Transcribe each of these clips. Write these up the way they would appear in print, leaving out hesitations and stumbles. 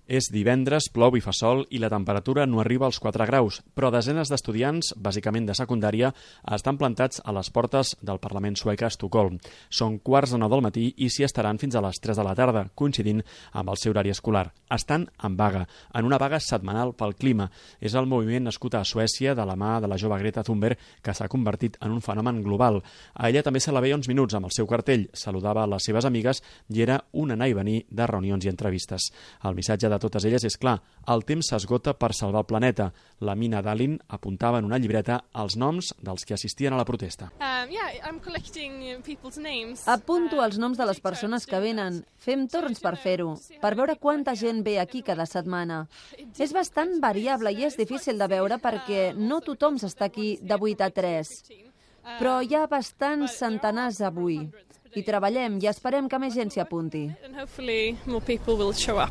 És divendres, plou i fa sol i la temperatura no arriba als 4 graus, però desenes d'estudiants, bàsicament de secundària, estan plantats a les portes del Parlament suec a Estocolm. Són 8:45 del matí i s'hi estaran fins a les 3 de la tarda, coincidint amb el seu horari escolar. Estan en vaga, en una vaga setmanal pel clima. És el moviment nascut a Suècia de la mà de la jove Greta Thunberg que s'ha convertit en un fenomen global. A ella també se la veia uns minuts amb el seu cartell, saludava a les seves amigues i era un anar i venir de reunions i entrevistes. El missatge de totes elles és clar, el temps s'esgota per salvar el planeta. La Mina Dalin apuntava en una llibreta els noms dels que assistien a la protesta. Apunto els noms de les persones que venen. Fem torns per fer-ho, per veure quanta gent ve aquí cada setmana. És bastant variable i és difícil de veure perquè no tothom s'està aquí de 8 a 3. Però hi ha bastants centenars avui. I treballem i esperem que més gent s'hi apunti.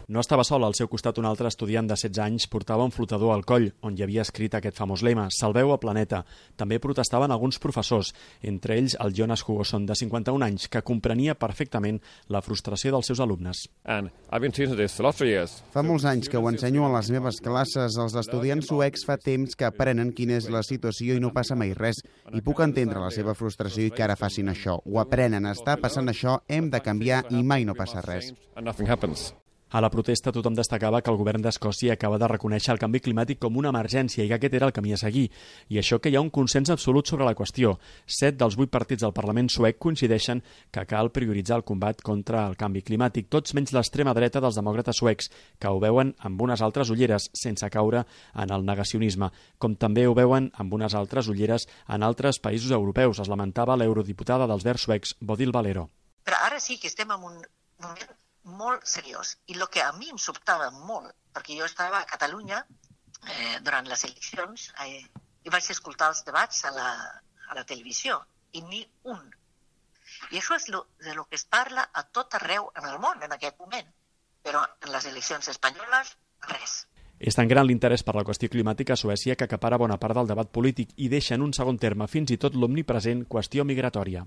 No estava sol, al seu costat un altre estudiant de 16 anys portava un flotador al coll, on hi havia escrit aquest famós lema, Salveu el planeta. També protestaven alguns professors, entre ells el Jonas Hugoson, de 51 anys, que comprenia perfectament la frustració dels seus alumnes. Fa molts anys que ho ensenyo a les meves classes. Els estudiants suecs fa temps que aprenen quina és la situació i no passa mai res. I puc entendre la seva frustració i que ara facin això. Ho aprenen, està passant això, hem de canviar i mai no passa res. A la protesta tothom destacava que el govern d'Escòcia acaba de reconèixer el canvi climàtic com una emergència i que aquest era el camí a seguir. I això que hi ha un consens absolut sobre la qüestió. 7 dels 8 partits del Parlament suec coincideixen que cal prioritzar el combat contra el canvi climàtic, tots menys l'extrema dreta dels demòcrates suecs, que ho veuen amb unes altres ulleres, sense caure en el negacionisme, com també ho veuen amb unes altres ulleres en altres països europeus, es lamentava l'eurodiputada dels Verds suecs, Bodil Valero. Però ara sí que estem en un moment molt seriós. I el que a mi em sobtava molt, perquè jo estava a Catalunya durant les eleccions i vaig escoltar els debats a la televisió, i ni un. I això és de lo que es parla a tot arreu en el món en aquest moment, però en les eleccions espanyoles, res. És tan gran l'interès per la qüestió climàtica a Suècia que acapara bona part del debat polític i deixa en un segon terme fins i tot l'omnipresent qüestió migratòria.